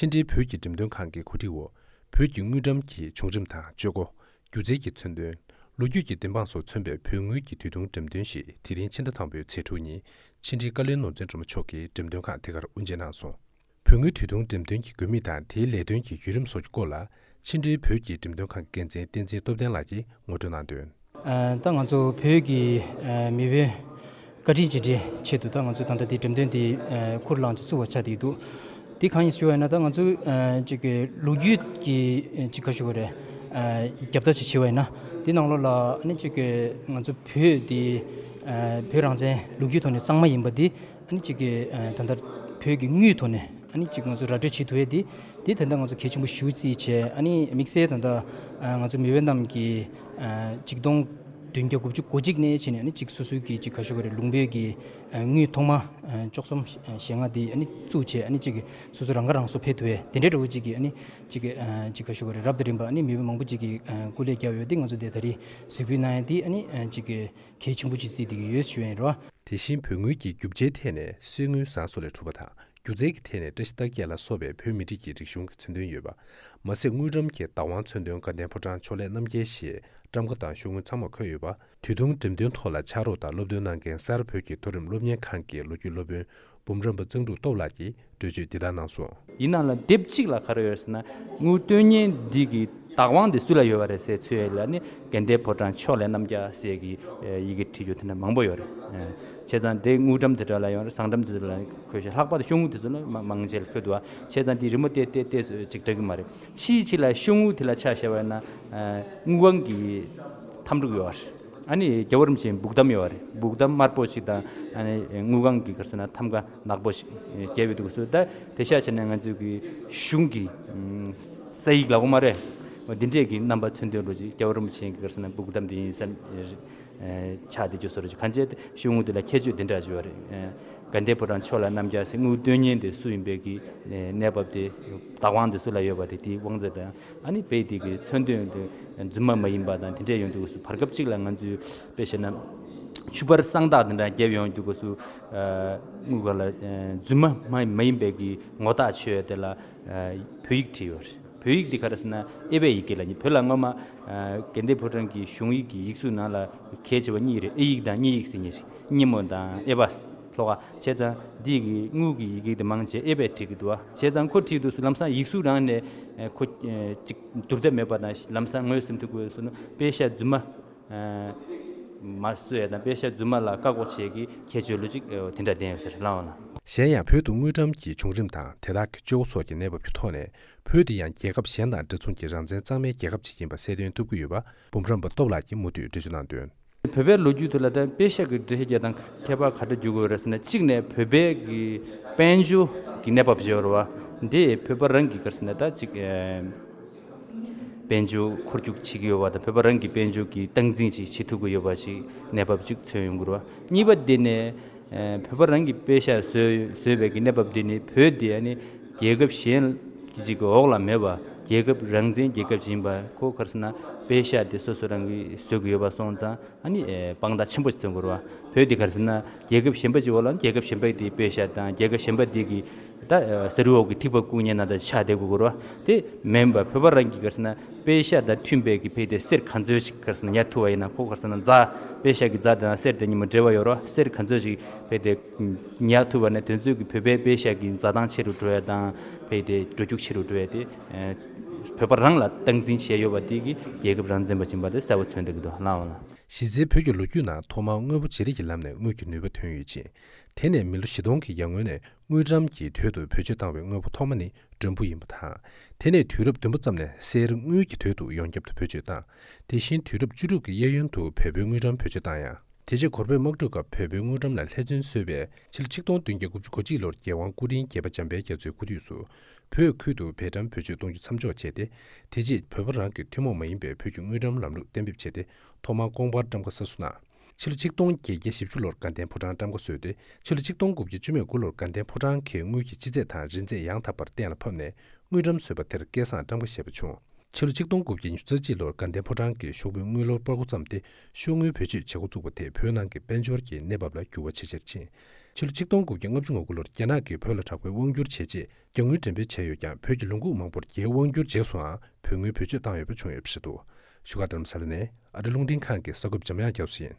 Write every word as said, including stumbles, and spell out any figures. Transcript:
ཕྱི་འབྲེལ་བོད་ཀྱི་འགྲེམས་སྟོན་ཁང་གི་གོ་སྒྲིག་འོག་བོད་ཀྱི་དངུལ་འགྲམ་གྱི་བྱུང་རིམ་དང་སྤྱོད་སྒོ། སྒྱུ་རྩལ་གྱི་མཚོན་དོན། ལོ་རྒྱུས་ཀྱི་བདེན་དཔང་སོགས་མཚོན་པའི་བོད་དངུལ་གྱི་དུས་ཐུང་འགྲེམས་སྟོན་ཞིག་དེ་རིང་ཕྱི་ཟླ་དང་པོའི་ཚེས་དྲུག་ཉིན་ཕྱི་འབྲེལ་བཀའ་བློན་ནོར་འཛིན་སྒྲོལ་མ་མཆོག་གིས་འགྲེམས་སྟོན་ཁང་དེ་གར་དབུ་འབྱེད་གནང་སོང་། བོད་དངུལ་དུས་ཐུང་འགྲེམས་སྟོན་གྱི་དགོས་དམིགས་དང་དེའི་ལས་དོན་གྱི་བརྒྱུད་རིམ་སོགས་ཀྱི་སྐོར་ལ་ཕྱི་འབྲེལ་བོད་ཀྱི་འགྲེམས་སྟོན་ཁང་གི་འགན་འཛིན་བསྟན་འཛིན་སྟོབས་ལྡན་ལགས་ཀྱིས་ངོ་སྤྲོད་གནང་དོན། ཨ། ད་ང་ཚོ་བོད་ཀྱི་ཨ་མི་བུ་བཀའ་དྲིན་རྗེས་དྲན་ཆེད་དུ་ད་ང་ཚོས་ད་ལྟ་འདི་འགྲེམས་སྟོན་འདི་ཨ་ཁུར་བླངས་ཀྱིས་བཙུགས་པ་ཆགས་བསྡད་འདུག་འདི་གང་ཡིན་ཞུ་བ་ཡིན་ན། ད་ང་ཚོས་ཨ་ཅིག་གི་ལོ་རྒྱུས་ཀྱི་ཨ་ཅིག་ག་ཞུ་དགོས་རེད། ཨ་རྒྱབ་ལྟ་ཅིག་བྱས་པ་ཡིན་ན། འདི་ནང་ལོགས་ལ་ཨ་ནི་ཅིག་གི་ང་ཚོ་བོད་འདི་ཨ་བོད་རང་བཙན་ལོ་རྒྱུས་ཐོག་ནས་གཙང་མ་ཡིན་པ་འདི། ཨ་ནི་གཅིག་གི་ཨ་ད་ལྟ་བོད་ཀྱི་དངུལ་ཐོག་ནས་ཨ་ནི་གཅིག་ང་ཚོ་ར་སྤྲོད་བྱེད་ཐུབ་ཡས་དེ། དེ་ད་ལྟ་ང་ཚོ་གལ་ཆེན་པོ་ཞེ་པོ་བརྩིས་བྱས། ཨ་ནི་དམིགས་བསལ་ད་ལྟ་ཨ་ང་ཚོ་མི་བུ་རྣམས་ཀྱིས་ཨ་ཆིག་སྟོང་བདུན་བརྒྱ་དགུ་བཅུ་གོ་གཅིག་ནས་བྱས་ནས། ཨ་ནི་གཅིག་སོ་སོའི་གི་གཅིག་ག་ཞུ་དགོས་རེད། ལུང་པའི་གི་ཨ་དངུལ་ཐོག་མ་ཨ་བཅུ་གསུམ་ཞེ་ལྔ་དེ་ཨ་ནི་བཙུགས་བྱས། ཨ་ནི་གཅིག་གི་སོ་སོ་རང་ཁ་རང་གསོ་འཕེལ་ཐུབ་ཡས་དེ་འདྲའི་འདྲ་བོ་གཅིག་གི་ཨ་ནི་གཅིག་གི་ཨ་གཅིག་ག་ཞུ་དགོས་རེད། རབ་དང་རིམ་པ་ཨ་ནི་མི་བུ་མང་པོ་གཅིག་གིས་ཨ་སྐུ་ལས་བརྒྱབ་ཡོད་དེ། ང་ཚོ་དེ་ད་རེས་གཟིགས་འབུལ་གནང་ཡས་དེ་ཨ་ནི་ཨ་གཅིག་གི་གལ་ཆེན་པོ་ཅིག་བརྩིས་བསྡད་ཀྱི་ཡོད་ཞུ་ཡས་ཡིན་རོ། དེ་བཞིན་བོད་དངུལ་གྱི་རྒྱུ་ཆའི་ཐད་ནས་གསེར་དངུལ་ཟངས་སོགས་ལས་གྲུབ་པ་དང་། སྒྱུ་རྩལ་གྱི་ཐད་ནས་བཀྲ་ཤིས་རྟགས་བརྒྱད་ལ་སོགས་པའི་བོད་མི་རིགས་ཀྱི་རིག་གཞུང་གི་མཚོན་དོན་ཡོད་པ། མ་ཟད་དངུལ་འགྲམ་གྱི་བདག་དབང་མཚོན་དོན་དགའ་ལྡན་ཕོ་བྲང་ཕྱོགས་ལས་རྣམ་རྒྱལ་ཞེས་ཊམ་ཀ་དང་ཤོག་དངུལ་ཚང་མ་འཁོད་ཡོད་པ། དུས་ཐུང་འགྲེམས་སྟོན་ཐོག་ལ་ཕྱག་རོགས་དང་སློབ་སྟོན་གནང་མཁན་གསར་བོད་ཀྱི་མཐོ་རིམ་སློབ་གཉེར་ཁང་གི་ལོ་རྒྱུས་སློབ་དཔོན་འབུམ་རམས་པ་གཙང་ཕྲུག་སྟོབས་ལགས་ཀྱིས་འགྲེལ་བརྗོད་འདི་ལྟར་གནང་སོང་། ཡིན་ནའང་ལ་དེབ་གཅིག་ལ་ག་རེ་ཡོད་ཟེར་ན། དངུལ་བཏོན་མཁན་འདི་གི་བདག་དབང་དེ་སུ་ལ་ཡོད་པ་རེད་ཟེར་ཚུལ་ལ་ནི། དགའ་ལྡན་ཕོ་བྲང་ཕྱོགས་ལས་རྣམ་རྒྱལ་ཟེར་གི་ཡི་གེ་བྲིས་རྒྱུ་དེ་འདྲ་མང་པོ་ཡོད་རེད། བྱས་ཙང་དེ་དངུལ་འགྲམ་དེ་འདྲ་ལ་ཡོད་རེད། ཟངས་འགྲམ་དེ་འདྲ་ལ་འཁོད་ཤག་ལྷག་པར་དུ་ཤོག་དངུལ་དེ་ཚོ་ལ་མང་ཆེ་ལ་འཁོད་འདུག་བ། བྱས་ཙང་དེ་རི་མོ་བལྟས་བལྟས་བལྟས་ཅིག་འདྲ་གི་མ་རེད། ཕྱིའི་ཕྱི་ལ་ཤོག་དངུལ་དེ་ལ་ཆ་བཞག་པ་ཡིན་ན། དངུལ་ཁང་གི་ཐམ་ཕྲུག་ཡོད་རེད། ཨ་ནི་རྒྱལ་བ་རིན་པོ་ཆེའི་སྦུག་ཐམ་ཡོད་རེད། སྦུག་ཐམ་དམར་པོ་ཞིག་དང་། ཨ་ནི་དངུལ་ཁང་གི་ག་རེ་ཟེར་ན་ཐམ་ཀ་ནག་པོ་ཞིག་བརྒྱབ་ཡོད་འདུག་སོ། ད་དེ་ཤ་ཆ་ནས་ང་ཚོའི་གི་གཞུང་གི་ས་ཡིག་ལ་འོ་མ་རེད། འདི་འདྲས་ཀྱི་རྣམ་པ་མཚོན་དོན་ལོ་ཅིག་རྒྱལ་བ་རིན་པོ་ཆེའི་གི་ག་རེ་ཟེར་ན་སྦུག་ཐམ་དེ་ཡིན་ས་ཆགས་བསྡད་རྒྱུ་བཟོ་འདྲ་ཅིག་གང་བྱས་ཏེ་ཤོག་དངུལ་དེ་ལ་ཁྱད་ཆོས་དེ་འདྲ་ཅིག་ཡོད་རེད། དགའ་ལྡན་ཕོ་བྲང་ཕྱོགས་ལ་རྣམ་རྒྱལ་ཟེར་དངུལ་བཏོན་མཁན་དེ་སུ་ཡིན་པའི་གི་གནས་བབ་དེ། བདག་དབང་དེ་སུ་ལ་ཡོད་པ་དེ། དེའི་དབང་ཚད་དང་། ཨ་ནི་དཔེ་དེ་གི་མཚོན་དོན་དེ་རྫུན་མ་མ་ཡིན་པ་དང་དེ་འདྲས་ཡོང་དུས་སྐབས་སུ། བར་སྐབས་གཅིག་ལ་ང་ཚོས་དཔེ་བཤད་ན་ཕྱུ་པར་གསང་རྟགས་དེ་འདྲ་བརྒྱབ་ཡོང་དུས་སྐབས་སུ། དངུལ་ཁང་ལ་རྫུན་མ་མ་མ་ཡིན་པའི་གི་ངོ་རྟགས་ཆོད་ཡ་དེ་ལ་བོད་ཡིག་བྲིས་ཡོད་རེད། བོད་ཡིག་འདི་ག་རེ་ཟེར་ན་ཨེ་བྷའི་ཡི་གེ་ལ། བོད་ལ་སྔོན་མ་དགའ་ལྡན་ཕོ་བྲང་གི་གཞུང་ཡིག་གི་ཡིག་གཟུགས་ནང་ལ་གལ་ཆེ་བ་གཉིས་རེད། ཨེ་ཡིག་དང་དབྱིན་ཡིག་ཟེར་གཉིས་རེད། སྙེ་མོ་དང་ཨེ་བྷ་ལྷོ་ཁ། བྱས་ཙང་འདི་གི་དངུལ་གྱི་ཡི་གེ་དེ་མང་ཆེ་ཨེ་བྷའི་བྲིས་ཀྱི་འདུག་བ། བྱས་ཙང་ཁོ་བྲིས་དུས་སུ་ལམ་སང་ཡིག་གཟུགས་རང་ནས་ཁོ་ཅིག་བསྡུར་ཐབས་མེད་པ་དང་། ལམ་སང་ངོས་ཟིན་ཐུབ་དགོས་སུ་ནི་པེ་ཤ་རྫུན་མ་མ་བཟོ་ཡ་དང་། པེ་ཤ་རྫུན་མ་ལ་བཀག་འགོག་བྱེད་ཀྱི་ཁྱད་ཆོས་ལོ་ཅིག་དེ་འདྲ་ལྡན་ཡོད་ཟེར་ལབ་འོང་ལ། གཞན་ཡང་བོད་དུ་དངུལ་འགྲམ་གྱི་བྱུང་རིམ་དང་དེ་དག་གི་སྤྱོད་སྒོ་སོགས་ཀྱི་གནས་བབ་ཀྱི་ཐོག་ནས། བོད་དེ་ཡང་རྒྱལ་ཁབ་གཞན་དང་འདྲ་མཚུངས་ཀྱི་རང་བཙན་གཙང་མའི་རྒྱལ་ཁབ་ཅིག་ཡིན་པ་གསལ་སྟོན་ཐུབ་ཀྱི་ཡོད་པ། འབུམ་རམས་པ་སྟོབས་ལགས་ཀྱིས་མུ་མཐུད་འགྲེལ་བརྗོད་གནང་དོན། བོད་པའི་ལོ་རྒྱུས་དེ་ལ་ད་པེ་ཤ་གི་འགྲེལ་བཤད་རྒྱག་སྟངས་ཁྱད་པར་ག་འདྲ་འགྱུར་དགོས་རེད་ཟེར་ན། གཅིག་ནས་བོད་པའི་གི་དཔལ་འབྱོར་གྱི་གནས་བབ་ཅིག་ཡོད་རེད་བ། འདི་བོད་པ་རང་གི་ག་རེ་ཟེར་ན་ད་ཅིག་ཨེ་དཔལ་འབྱོར་འཁོར་རྒྱུག་བྱེད་ཀྱི་ཡོད་པ་དང་། བོད་པ་རང་གི་དཔལ་འབྱོར་གྱི་སྟངས་འཛིན་ཅིག་བྱེད་ཐུབ་ཀྱི་ཡོད་པ་ཅིག་གནས་བབ་ཅིག་མཚོན་ཡོང་གི་རེད་བ། གཉིས་པ་འདི་ནས་ཨེ་བོད་པ་རང་གི་པེ་ཤ་བཟོས་བཟོས་པའི་གི་གནས་བབ་འདི་ནི། བོད་འདི་ཨ་ནི་རྒྱལ་ཁབ་གཞན་གྱི་ཅིག་གི་འོག་ལ་མེད་པ། རྒྱལ་ཁབ་རང་བཙན་རྒྱལ་ཁབ་ཅིག་ཡིན་པ། ཁོ་ག་རེ་ཟེར་ན་པེ་ཤ་དེ་སོ་སོ་རང་གིས་བཟོ་གི་ཡོད་པ་སོང་ཙང་། ཨ་ནི་ཨེ་དཔང་རྟགས་ཆེན་པོ་ཞིག་མཚོན་དགོས་རེད་བ། བོད་འདི་ག་རེ་ཟེར་ན་རྒྱལ་ཁབ་གཞན་པ་ཅིག་འོག་ལ་རྒྱལ་ཁབ་གཞན་པ་དེའི་པེ་ཤ་དང་། རྒྱལ་ཁབ་གཞན་པ་དེ་གི་ད་ཨེ་ཟ་རི་འོག་གི་ཐིགས་པ་བཀུག་མཁན་ནང་ད་ཆགས་བསྡད་དགོས་རེད་བ། དེ་མིན་པ་བོད་པ་རང་གི་ག་རེ་ཟེར་ན་པེ་ཤ་དང་མཐུན་པའི་གི་ཕ་གི་དེ་གསེར་ག་ཚོད་ཅིག་ག་རེ་ཟེར་ན་ཉར་ཐུབ་པ་ཡིན་ན། ཁོ་ག་རེ་ཟེར་ན་རྫ། པེ་ཤ་གི་རྫ་དང་གསེར་དེ་གཉིས་མ་འབྲེལ་བ་ཡོད་རེད་བ། གསེར་ག་ཚོད་ཅིག་ཕ་གི་དེ་ཉར་ཐུབ་པ་ན། དེ་ཚོ་གི་བོད་པའི་པེ་ཤ་གི་འཛའ་ཐང་ཆེ་རུ་འགྲོ་ཡ་དང་། ཕ་གི་དེ་འགྲོ་རྒྱུག་ཆེ་རུ་འགྲོ་ཡ་དེ། ཨེ་བོད་པ་རང་ལ་སྟངས་འཛིན་བྱས་ཡོད་པ་དེ་གིས་རྒྱལ་ཁབ་རང་བཙན་པ་ཅིག་ཡིན་པ་དེ་གསལ་པོ་མཚོན་བསྡད་ཀྱི་འདུག་ལགས་འོང་ལ། གཞི་རྩའི་བོད་ཀྱི་ལོ་རྒྱུས་ནང་ཐོག་མར་དངོས་པོ་བརྗེ་རེས་ཀྱི་ལམ་ནས་དངུལ་གྱི་ནུས་པ་ཐོན་ཡོད་ཅིང་། དེ་ནས་མི་ལོ་བཞི་སྟོང་གི་ཡར་སྔོན་ནས་དངུལ་ཀྲམ་གྱི་དོད་དུ་བེད་སྤྱོད་བཏང་བའི་དངོས་པོ་ཐོག་མ་ནི་ཌོམ་བུ་ཡིན་པ་དང་། དེ་ནས་དུས་རབས་བདུན་པ་ཙམ་ནས་གསེར་དངུལ་གྱི་དོད་དུ་ཡོངས་ཁྱབ་ཏུ་བེད་སྤྱོད་བཏང་། དེ་བཞིན་དུས་རབས་བཅུ་དྲུག་གི་གཡས་གཡོན་དུ་བལ་པོའི་དངུལ་ཀྲམ་བེད་སྤྱོད་བཏང་ཡང་། དེ་རྗེས་གོར་པོའི་དམག་འཁྲུག་སྐབས་བལ་པོའི་དངུལ་ཀྲམ་ལ་ལྷད་མཚོན་བཟོས་པས། ཕྱི་ལོ་ཆིག་སྟོང་བདུན་བརྒྱ་དགུ་བཅུ་གོ་གཅིག་ལོར་རྒྱལ་དབང་སྐུ་ཕྲེང་བརྒྱད་པ་འཇམ་དཔལ་རྒྱ་མཚོའི་སྐུ་དུས་སུ། བོད་ཁུལ་དུ་བལ་ཀྲམ་བེད་སྤྱོད་གཏོང་རྒྱུ་མཚམས་འཇོག་བྱས་ཏེ། དེ་རྗེས་བོད་པ་རང་གི་ཐུན་མོང་མ་ཡིན་པའི་བོད་ཀྱི་དངུལ་ཀྲམ་ལམ་ལུགས་གཏན་འབེབས་བྱས་ཏེ། ཐོག་མར་ཀོང་པར་ཊམ་ཀ་གསར་བཟོ་གནང་། ཕྱི་ལོ་ཆིག་སྟོང་བརྒྱད་བརྒྱ་བཞི་བཅུ་ལོར་དགའ་ལྡན་ཕོ་བྲང་ཊམ་ཀ་བཟོས་ཏེ། ཕྱི་ལོ་ཆིག་སྟོང་དགུ་བརྒྱ་བཅུ་མེད་དགུ་ལོར་དགའ་ལྡན་ཕོ་བྲང་གི་དངུལ་གྱི་སྤྱི་ཚད་དང་རིན་ཚད་ཡང་དག་པར་གཏན་ལ་ཕབ་ནས། དངུལ་ཀྲམ་བཟོས་པ་དེར་སྐལ་བཟང་ཊམ་ཀ་ཞེས་པ་བྱུང་། ཕྱི་ལོ་ཆིག་སྟོང་དགུ་བརྒྱ་ཉི་ཤུ་རྩ་གཅིག་ལོར་དགའ་ལྡན་ཕོ་བྲང་གི་ཤོག་བུའི་དངུལ་ལོར་སྤར་འགོ་བརྩམས་ཏེ། ཤོག་དངུལ་བེད་སྤྱོད་བྱེད་འགོ་བཙུགས་པ་དེས་བོད་ནང་གི་དཔལ་འབྱོར་གྱི་གནས་བབ་ལ་འགྱུར་བ་ཆེས་ཆེར་ཕྱིན། ཕྱི་ལོ་ཆིག་སྟོང་དགུ་བརྒྱ་ལྔ་བཅུ་ང་དགུ་ལོར་རྒྱ་ནག་གིས་བོད་ལ་དྲག་པོའི་དབང་བསྒྱུར་བྱས་རྗེས་རྒྱ་དངུལ་འགྲེམས་སྤེལ་བྱས་ཡོད་ཀྱང་། བོད་ཀྱི་ལུང་ཁུག་མང་པོར་རྒྱའི་དབང་བསྒྱུར་རྗེས་སུའང་བོད་དངུལ་བེད་སྤྱོད་བཏང་ཡོད་པ་བྱུང་ཡོད་པ་རེད་འདུག་བཞུགས་སྒར་རྡ་རམ་ས་ལ་ནས་ཨ་རི་རླུང་འཕྲིན་ཁང་གི་གསར་འགོད་པ་འཇམ་དབྱངས་རྒྱ་མཚོ་ཡིན།